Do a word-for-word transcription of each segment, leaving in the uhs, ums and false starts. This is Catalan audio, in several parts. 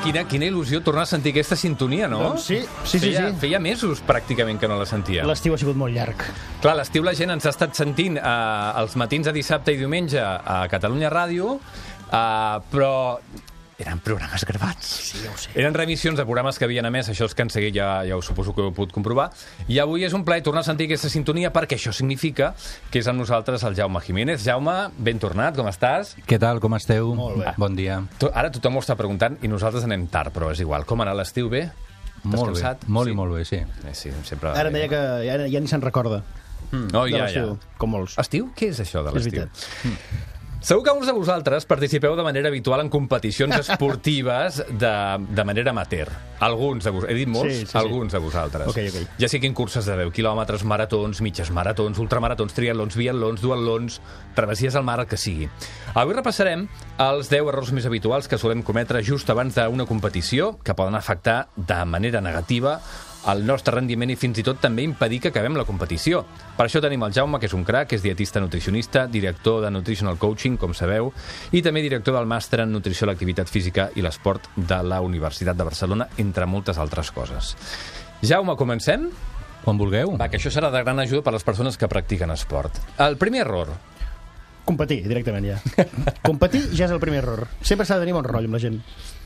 quina, quina il·lusió tornar a sentir aquesta sintonia, no? Doncs sí, sí, sí. Feia, sí. feia mesos pràcticament que no la sentia. L'estiu ha sigut molt llarg. Clar, l'estiu la gent ens ha estat sentint eh, els matins de dissabte i diumenge a Catalunya Ràdio, eh, però eren programes gravats. Sí, ja ho sé. Eren remissions de programes que havien emès, això és que han seguit, ja, ja ho suposo que ho heu pogut comprovar. I avui és un plaer tornar a sentir aquesta sintonia perquè això significa que és amb nosaltres el Jaume Jiménez. Jaume, ben tornat, com estàs? Què tal, com esteu? Molt bé. Bon dia. To- Ara tothom ho està preguntant i nosaltres anem tard, però és igual. Com ha anat l'estiu, bé? Molt bé, Descansat? molt Sí. i molt bé, sí. Eh, sí, sempre... Ara em deia que ja, ja ni se'n recorda No, de ja, ja. l'estiu, com molts. Estiu? Què és això de És l'estiu? veritat. Segur que molts de vosaltres participeu de manera habitual en competicions esportives de, de manera amateur. Alguns de vosaltres, he dit molts? Sí, sí, sí. Alguns de vosaltres. Ok, ok. Ja siguin curses de deu quilòmetres, maratons, mitges maratons, ultramaratons, triatlons, biatlons, duatlons, travessies al mar, el que sigui. Avui repassarem els deu errors més habituals que solem cometre just abans d'una competició, que poden afectar de manera negativa el nostre rendiment i fins i tot també impedir que acabem la competició. Per això tenim el Jaume, que és un crac, que és dietista nutricionista, director de Nutritional Coaching, com sabeu, i també director del màster en nutrició, l'activitat física i l'esport de la Universitat de Barcelona, entre moltes altres coses. Jaume, comencem? Quan vulgueu. Va, que això serà de gran ajuda per a les persones que practiquen esport. El primer error. Competir, directament, ja. Competir ja és el primer error. Sempre s'ha de tenir bon rotllo amb la gent.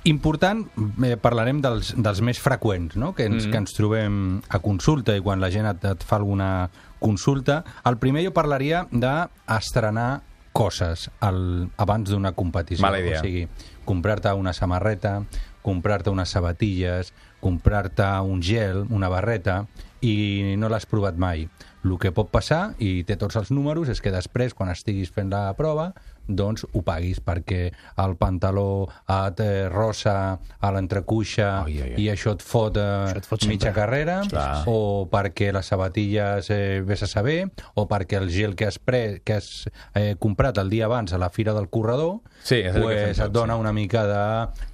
Important, eh, parlarem dels, dels més freqüents, no? que, ens, mm. que ens trobem a consulta i quan la gent et, et fa alguna consulta. El primer jo parlaria d'estrenar coses al, abans d'una competició. Mala idea. O sigui, comprar-te una samarreta, comprar-te unes sabatilles, comprar-te un gel, una barreta, i no l'has provat mai. El que pot passar, i té tots els números, és que després, quan estiguis fent la prova, doncs ho paguis, perquè el pantaló et eh, rosa a l'entrecuixa Ai, ai, ai. i això et fot, eh, Això et fot sempre. mitja carrera, Sí, sí, sí. o perquè les sabatilles eh, vés a saber, o perquè el gel que has, pre que has eh, comprat el dia abans a la fira del corredor, Sí, és el que fem pues, tots, et dona sí. una mica de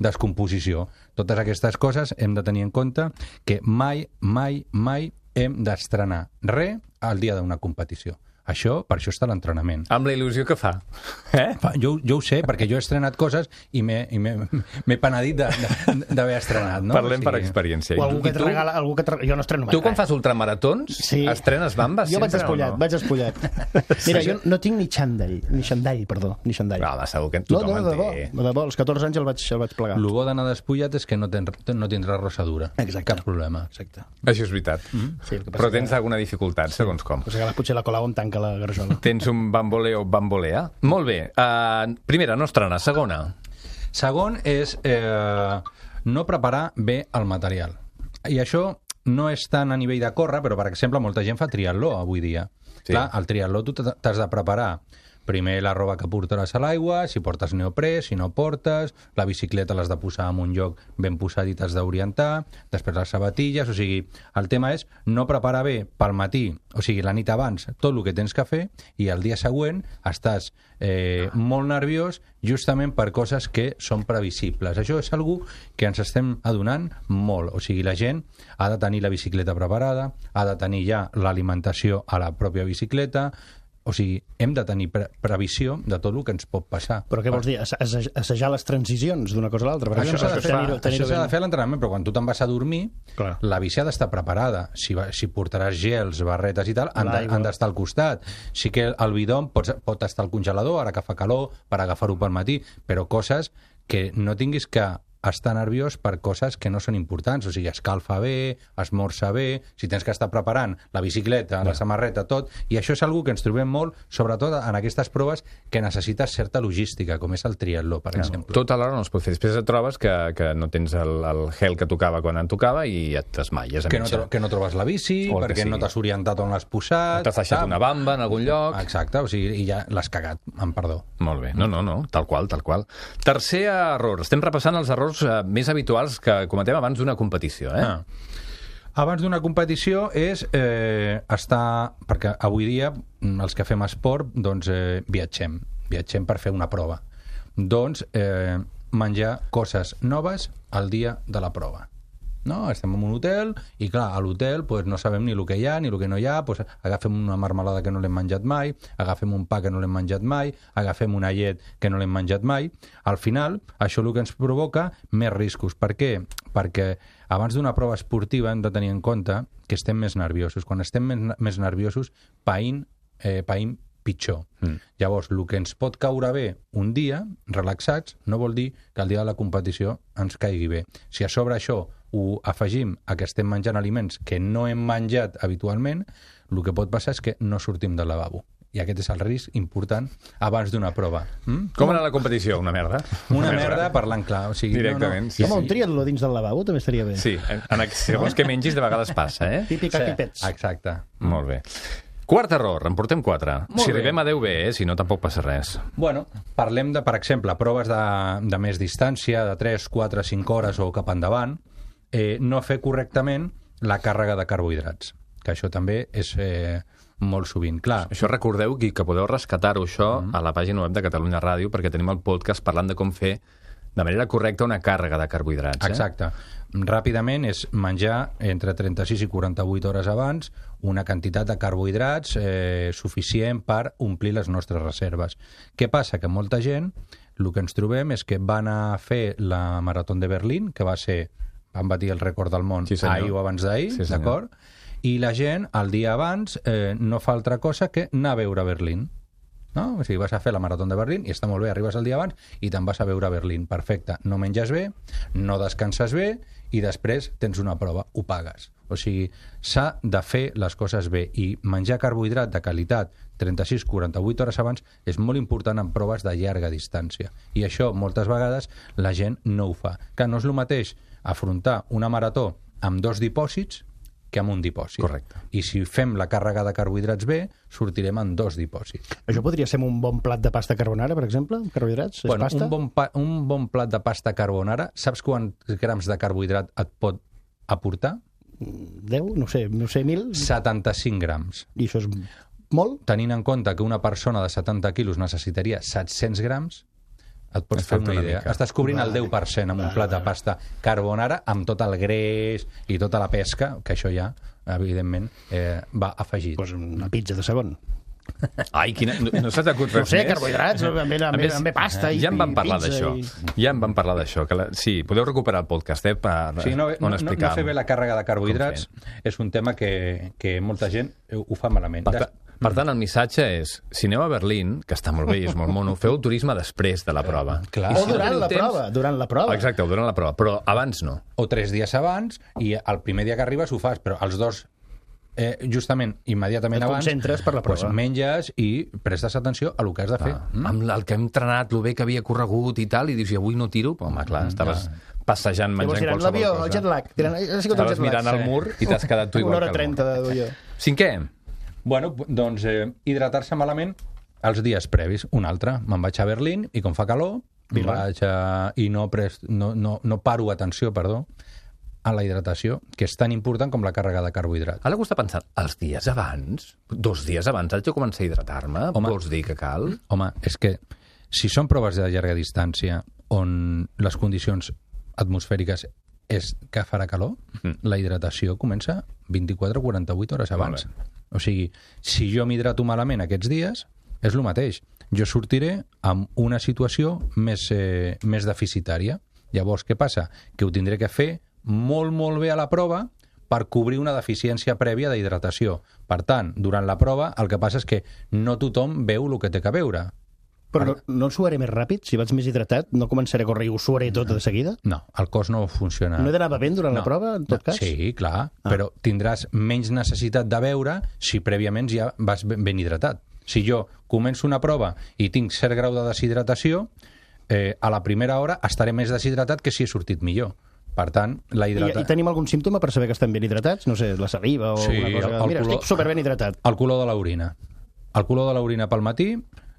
descomposició. Totes aquestes coses hem de tenir en compte que mai, mai, mai hem d'estrenar res al dia d'una competició. Això, per això està l'entrenament. Amb la il·lusió que fa. Eh? Fa- Jo, jo ho sé, perquè jo he estrenat coses i m'he i m'he- m'he penedit de- de- d'haver estrenat. No? Parlem O per sigui, experiència. O algú I que et tu? regala... Algú que et regala... Jo no estreno mai Tu quan res. fas ultramaratons, Sí. estrenes bambes Jo vaig sempre despullat, o no? vaig despullat. Mira, jo no tinc ni xandall, ni xandall, perdó, ni xandall. No, home, segur que No, tothom no, en de debò, té. de debò, als catorze anys el vaig, el vaig plegar. El bo d'anar despullat és que no, ten, no tindràs rossadura. Exacte. Cap problema. Exacte. Això és veritat. Sí, el que passa Però que- tens alguna dificultat, segons com. Pues que potser la colau em tanca la garjola. Tens un bamboleo bambolea? Molt bé. Uh, primera, no estrenar. Segona. Segon és eh, no preparar bé el material. I això no és tant a nivell de córrer, però, per exemple, molta gent fa triatló avui dia. Sí. Clar, al triatló tu t'ha- t'has de preparar primer la roba que portaràs a l'aigua, si portes neoprè, si no portes, la bicicleta l'has de posar en un lloc ben posat i t'has d'orientar, després les sabatilles, o sigui, el tema és no preparar bé pel matí, o sigui, la nit abans, tot el que tens que fer, i el dia següent estàs eh, molt nerviós justament per coses que són previsibles. Això és algú que ens estem adonant molt, o sigui, la gent ha de tenir la bicicleta preparada, ha de tenir ja l'alimentació a la pròpia bicicleta. O sigui, hem de tenir pre previsió de tot el que ens pot passar. Però què vols dir? Assa- assa- Assajar les transicions d'una cosa a l'altra? per Això exemple? s'ha de Per fer, tenir-ho- això tenir-ho s'ha de ben- fer a l'entrenament, però quan tu te'n vas a dormir, Clar. la bici ha d'estar preparada. Si, va, si portaràs gels, barretes i tal, han de- L'aigua. han d'estar al costat. Sí que el bidó pot, pot estar al congelador, ara que fa calor, per agafar-ho pel matí, però coses que no tinguis que estar nerviós per coses que no són importants, o sigui, escalfa bé, esmorza bé, si tens que estar preparant la bicicleta, la samarreta, tot, i això és algo que ens trobem molt, sobretot en aquestes proves que necessites certa logística, com és el triatló, per exemple. Tot alhora no es pot fer. Després et trobes que, que no tens el, el gel que tocava quan en tocava i et desmaies a Que no, mitja. tro que no trobes la bici, O el que perquè no sigui. t'has orientat on l'has posat. T'has deixat sap? una bamba en algun lloc. Exacte, o sigui, i ja l'has cagat, amb perdó. Molt bé. No, no, no. Tal qual, tal qual. Tercer error. Estem repassant els errors eh, més habituals que cometem abans d'una competició, eh? Ah. Abans d'una competició és eh, estar... Perquè avui dia, els que fem esport, doncs eh, viatgem. Viatgem per fer una prova. Doncs eh, menjar coses noves el dia de la prova. no? Estem en un hotel i, clar, a l'hotel pues, no sabem ni el que hi ha ni el que no hi ha, pues, agafem una marmelada que no l'hem menjat mai, agafem un pa que no l'hem menjat mai, agafem una llet que no l'hem menjat mai. Al final, això el que ens provoca més riscos. Per què? Perquè abans d'una prova esportiva hem de tenir en compte que estem més nerviosos. Quan estem més, més nerviosos, païm, eh, païm pitjor. Mm. Llavors, el que ens pot caure bé un dia, relaxats, no vol dir que el dia de la competició ens caigui bé. Si a sobre això ho afegim a que estem menjant aliments que no hem menjat habitualment, el que pot passar és que no sortim del lavabo. I aquest és el risc important abans d'una prova. Mm? Com anar a la competició? Una merda. Una, una merda parlant clar. O sigui, directament. No, no. Sí, Home, sí. un triatló dins del lavabo també estaria bé. Sí, en, en, segons que mengis de vegades passa, eh? Típica Sí, pipets. exacte. Molt bé. Quart error, en portem quatre. Molt si bé. arribem a deu bé, eh? Si no, tampoc passa res. Bueno, parlem de, per exemple, proves de, de més distància, de tres, quatre, cinc hores o cap endavant, eh, no fer correctament la càrrega de carbohidrats, que això també és eh, molt sovint. Clar, Això recordeu que, que podeu rescatar-ho això mm. a la pàgina web de Catalunya Ràdio, perquè tenim el podcast parlant de com fer de manera correcta una càrrega de carbohidrats. Eh? exacte. Ràpidament és menjar entre trenta-sis i quaranta-vuit hores abans una quantitat de carbohidrats eh, suficient per omplir les nostres reserves. Què passa? Que molta gent, el que ens trobem és que van a fer la Marató de Berlín, que va ser, van batir el rècord del món Sí, senyor. ahir o abans d'ahir, Sí, senyor. d'acord? I la gent, el dia abans, eh, no fa altra cosa que anar a veure Berlín. No? O sigui, vas a fer la Marató de Berlín i està molt bé, arribes el dia abans i te'n vas a veure Berlín. Perfecte. No menges bé, no descanses bé i després tens una prova, ho pagues. O sigui, s'ha de fer les coses bé i menjar carbohidrat de qualitat trenta-sis a quaranta-vuit hores abans és molt important en proves de llarga distància. I això, moltes vegades, la gent no ho fa. Que no és el mateix afrontar una marató amb dos dipòsits que amb un dipòsit. Correcte. I si fem la càrrega de carbohidrats bé, sortirem en dos dipòsits. Això podria ser un bon plat de pasta carbonara, per exemple? Carbohidrats? És Bueno, pasta? un, bon pa, un bon plat de pasta carbonara, saps quants grams de carbohidrat et pot aportar? deu? No sé, no sé, mil? setanta-cinc grams. I això és molt? Tenint en compte que una persona de setanta quilos necessitaria set-cents grams, et pots Et fer falta una una idea. mica. Estàs cobrint el Vale. deu per cent amb un plat de pasta carbonara amb tot el greix i tota la pesca, que això ja, evidentment, eh, va afegit. Pues una pizza de segon. Ai, quina... no, no se t'acut res No sé, més? carbohidrats, amb, amb, A amb, més, amb pasta i ja en vam i parlar pizza d'això. I... Ja en vam parlar d'això. Que la... Sí, podeu recuperar el podcast, eh, per... Sí, no, no, on no, explicar. no fer bé la càrrega de carbohidrats és un tema que, que molta gent ho fa malament. Per, ta... per tant, el missatge és, si aneu a Berlín, que està molt bé i és molt mono, feu el turisme després de la prova. Clar. I O si no durant teniu la temps- prova, durant la prova. Exacte, o durant la prova, però abans no. O tres dies abans, i el primer dia que arribes ho fas, però els dos, eh, justament, immediatament Et abans, concentres per la prova. Pues menges i prestes atenció a el que has de fer. Ah, amb el que hem entrenat, el bé que havia corregut i tal, i dius, i avui no tiro? Però, home, clar, estaves passejant, Llavors menjant diran, qualsevol l'avió, cosa. el jet lag. Diran, ha sigut el Estaves jet lag. mirant al Sí. mur i t'has quedat tu igual Una hora que el trenta mur. de duió. Cinquè, Bueno, doncs eh, hidratar-se malament els dies previs. Un altre, me'n vaig a Berlín i com fa calor, me'n vaig a... i no, pres... no, no, no paro atenció, perdó, a la hidratació, que és tan important com la càrrega de carbohidrat. ara algú està pensant, els dies abans, dos dies abans, haig de començar a hidratar-me? Home. Vols dir que cal? Home, és que si són proves de llarga distància on les condicions atmosfèriques és que farà calor, Mm. la hidratació comença vint-i-quatre a quaranta-vuit hores abans. Molt O sigui, si jo m'hidrato malament aquests dies, és el mateix. Jo sortiré amb una situació més, eh, més deficitària. Llavors, què passa? Que ho tindré que fer molt, molt bé a la prova per cobrir una deficiència prèvia d'hidratació. Per tant, durant la prova, el que passa és que no tothom veu el que té que veure. Però no, no suaré més ràpid? Si vaig més hidratat, no començaré a córrer i ho suaré tot de seguida? No, el cos no funciona. No he d'anar bevent durant No. la prova, en tot No, cas? Sí, clar, ah. però tindràs menys necessitat de beure si prèviament ja vas ben, ben hidratat. Si jo començo una prova i tinc cert grau de deshidratació, eh, a la primera hora estaré més deshidratat que si he sortit millor. Per tant, la I, hidratació... I tenim algun símptoma per saber que estem ben hidratats? No sé, la saliva o Sí, alguna cosa? el- el Mira, color- estic superben hidratat. El color de l'orina. El color de l'orina pel matí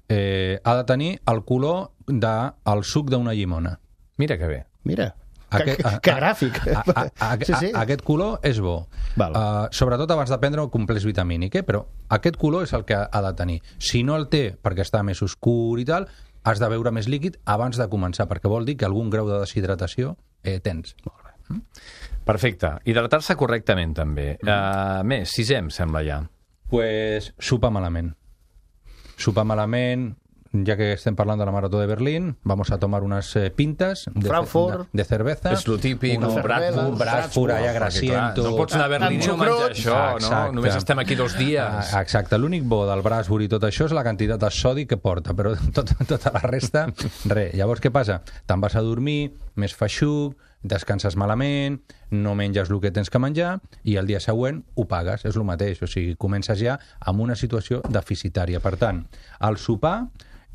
eh, ha de tenir el color del de, suc d'una llimona. Mira que bé. Mira, Aquest, que, que gràfic. A, a, a, sí, sí. a, aquest color és bo. Val. Uh, sobretot abans de prendre un complex vitamínic, eh? Però aquest color és el que ha de tenir. Si no el té perquè està més oscur i tal, has de beure més líquid abans de començar, perquè vol dir que algun grau de deshidratació eh, tens. Molt bé. Perfecte. Hidratar-se correctament, també. Uh, més, sisè, em sembla ja. Pues sopar malament. Sopar malament, ya que estem parlant de la Marató de Berlín, vamos a tomar unas eh, pintas de, Frankfurt. de, de cerveza. És lo típic, Una un Bradford. Un Bradford allà grasiento. No pots anar a Berlín i no menjar això, no? Només estem aquí dos dies. Ah, exacte, l'únic bo del Bradford i tot això és la quantitat de sodi que porta, però tot, tota la resta, res. Llavors, què passa? Te'n vas a dormir, més feixuc, descanses malament, no menges el que tens que menjar i el dia següent ho pagues, és el mateix. O sigui, comences ja amb una situació deficitària. Per tant, el sopar,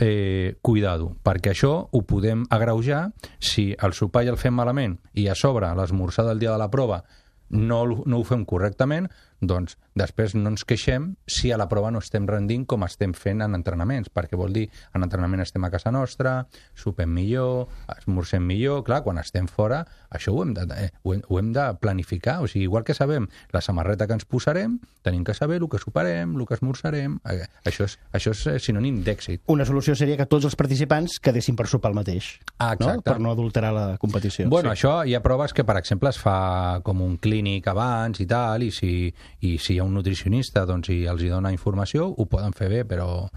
eh, cuidado, perquè això ho podem agreujar si el sopar ja el fem malament i a sobre l'esmorzar del dia de la prova no, no ho fem correctament, doncs després no ens queixem si a la prova no estem rendint com estem fent en entrenaments, perquè vol dir en entrenament estem a casa nostra, sopem millor, esmorzem millor, clar, quan estem fora, això ho hem de, eh, ho hem, ho hem de planificar, o sigui, igual que sabem la samarreta que ens posarem, tenim que saber el que soparem, el que esmorzarem, eh, això és, això és sinònim d'èxit. Una solució seria que tots els participants quedessin per sopar el mateix, Ah, no? exacte. Per no adulterar la competició. Bueno, sí. Això hi ha proves que, per exemple, es fa com un clínic abans i tal, i si, i si hi ha un nutricionista doncs, i els hi dona informació, ho poden fer bé, però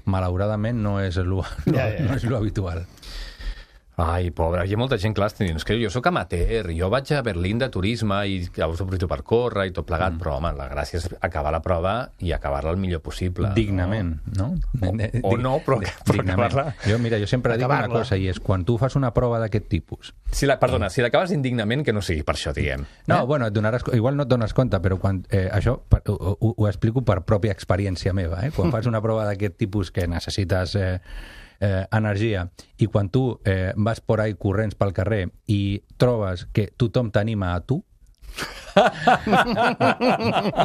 malauradament no és lo, lo, Ja, ja. no és lo habitual. Ai, pobre, hi ha molta gent, clar, estan dient, és que jo sóc amateur, jo vaig a Berlín de turisme i llavors aprofito per córrer i tot plegat, mm. però, home, la gràcia és acabar la prova i acabar-la el millor possible. Dignament, no? O, o no, però, però acabar-la... Jo, mira, jo sempre dic una cosa, i és quan tu fas una prova d'aquest tipus... Si la, perdona, si l'acabes indignament, que no sigui per això, diguem. No, eh? bueno, et donaràs, igual no et dones compte, però quan, eh, això per, ho, ho, ho explico per pròpia experiència meva. Eh? Quan fas una prova d'aquest tipus que necessites eh, eh, energia i quan tu eh, vas por ahí corrents pel carrer i trobes que tothom t'anima a tu,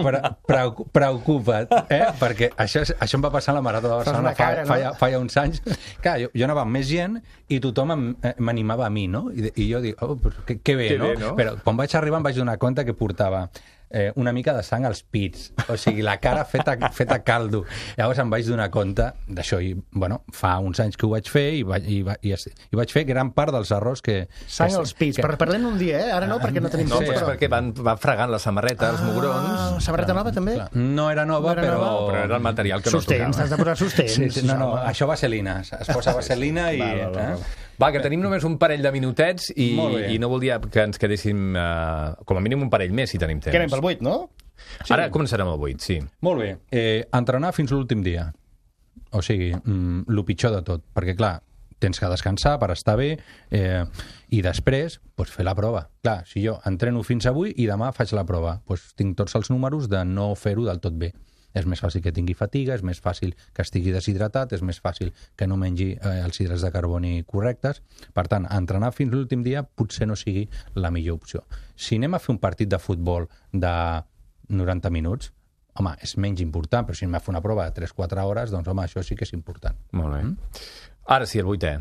Pre preocup preocupa't, eh? Perquè això, és, això em va passar a la Marató de Barcelona fa, cara, no? fa, fa ja uns anys. Clar, jo, jo anava amb més gent i tothom m'animava a mi, no? I, i jo dic, oh, pues, que, que bé, que no? bé, no? Però quan vaig arribar em vaig donar compte que portava eh, una mica de sang als pits, o sigui, la cara feta, feta caldo. Llavors em vaig donar compte d'això i, bueno, fa uns anys que ho vaig fer i, vaig, i, va, i, i vaig fer gran part dels errors que... Sang que, als pits, que... per parlem un dia, eh? Ara no, perquè no tenim No, temps. però és perquè van, van fregant la samarreta, els mugrons... Ah, samarreta nova, també? Clar, no era nova, No era però... nova? Però era el material que Sostens, no t'has de posar sostens. Sí, sí, no, no, això vaselina. Es posa vaselina i... Va, va, va, va. Eh? Va, que tenim només un parell de minutets i, Molt bé. i no voldria que ens quedéssim uh, com a mínim un parell més, si tenim temps. Que anem pel vuit, no? Sí. Ara començarem el vuit, sí. Molt bé. Eh, entrenar fins l'últim dia. O sigui, mm, el pitjor de tot. Perquè, clar, tens que descansar per estar bé eh, i després pues, fer la prova. Clar, si jo entreno fins avui i demà faig la prova, pues, tinc tots els números de no fer-ho del tot bé. És més fàcil que tingui fatiga, és més fàcil que estigui deshidratat, és més fàcil que no mengi eh, els hidrats de carboni correctes. Per tant, entrenar fins l'últim dia potser no sigui la millor opció. Si anem a fer un partit de futbol de noranta minuts, home, és menys important, però si anem a fer una prova de tres quatre hores, doncs, home, això sí que és important. Molt bé. Mm? Ara sí, el vuitè.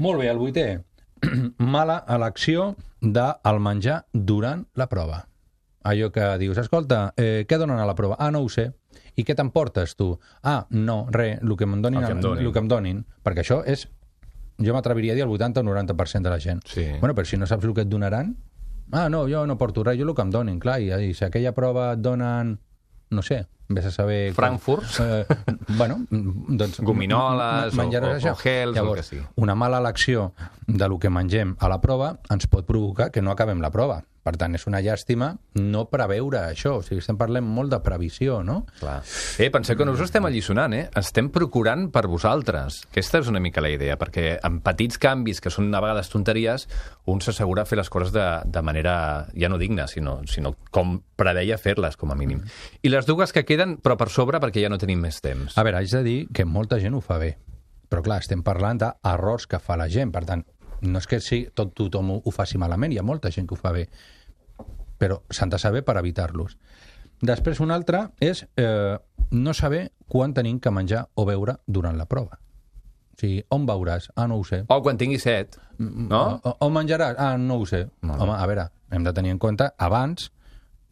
Molt bé, el vuitè. Mala elecció del menjar durant la prova. Allò que dius, escolta, eh, què donen a la prova? Ah, no ho sé. I què t'emportes, tu? Ah, no, res, el que em donin, El que em donin. el que em donin. Perquè això és, jo m'atreviria a dir el vuitanta o noranta per cent de la gent. Sí. Bueno, però si no saps el que et donaran, ah, no, jo no porto res, jo el que em donin, clar, i, i si aquella prova et donen, no sé, vés a saber... Frankfurt? Eh, bueno, doncs... Gominoles menjaràs o, o, això. o gels, Llavors, o el que sigui. una mala elecció de lo que mengem a la prova ens pot provocar que no acabem la prova. Per tant, és una llàstima no preveure això. O sigui, estem parlant molt de previsió, no? Clar. Eh, penseu que no us estem alliçonant, eh? Estem procurant per vosaltres. Aquesta és una mica la idea, perquè amb petits canvis, que són a vegades tonteries, un s'assegura fer les coses de, de manera, ja no digna, sinó, sinó com preveia fer-les, com a mínim. I les dues que queden, però per sobre, perquè ja no tenim més temps. A veure, haig de dir que molta gent ho fa bé. Però, clar, estem parlant d'errors que fa la gent. Per tant, no és que sí, tot tothom ho, ho faci malament, hi ha molta gent que ho fa bé, però s'han de saber per evitar-los. Després, un altre és eh, no saber quan tenim que menjar o beure durant la prova. O sigui, on beuràs? Ah, no ho sé. O quan tingui set, no? O, on menjaràs? Ah, no ho sé. No. Home, a veure, hem de tenir en compte abans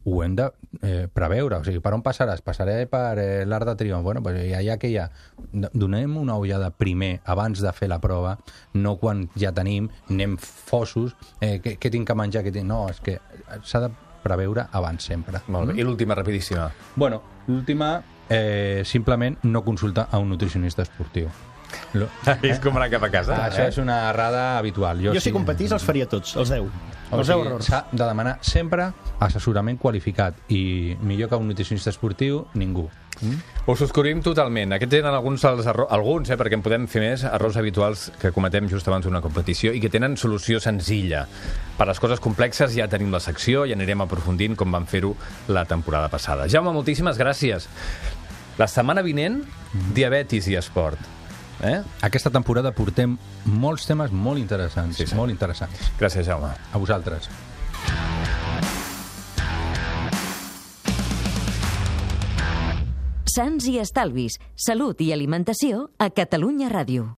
ho hem de eh, preveure. O sigui, per on passaràs? Passaré per eh, l'Arc de Triomf. Bueno, pues ja, ja que hi ha... Donem una ullada primer, abans de fer la prova, no quan ja tenim, anem fossos, eh, què, què tinc que menjar? Què tinc... No, és que s'ha de preveure abans sempre. Molt bé. I l'última, rapidíssima. Bueno, l'última, eh, simplement no consultar a un nutricionista esportiu. Lo, és com anar cap a casa. Ah, això és una errada habitual. Jo, jo si competís els faria tots, els deu. O Els deu sigui, errors. s'ha de demanar sempre assessorament qualificat i millor que un nutricionista esportiu, ningú. Mm? Ho subscrivim totalment. Aquests eren alguns dels errors, alguns, eh, perquè en podem fer més, errors habituals que cometem just abans d'una competició i que tenen solució senzilla. Per les coses complexes ja tenim la secció i anirem aprofundint com vam fer-ho la temporada passada. Jaume, moltíssimes gràcies. La setmana vinent, diabetis i esport. Eh? Aquesta temporada portem molts temes molt interessants, Sí, sí. molt interessants. Gràcies, Jaume. A vosaltres. Sants i estalvis, salut i alimentació a Catalunya Ràdio.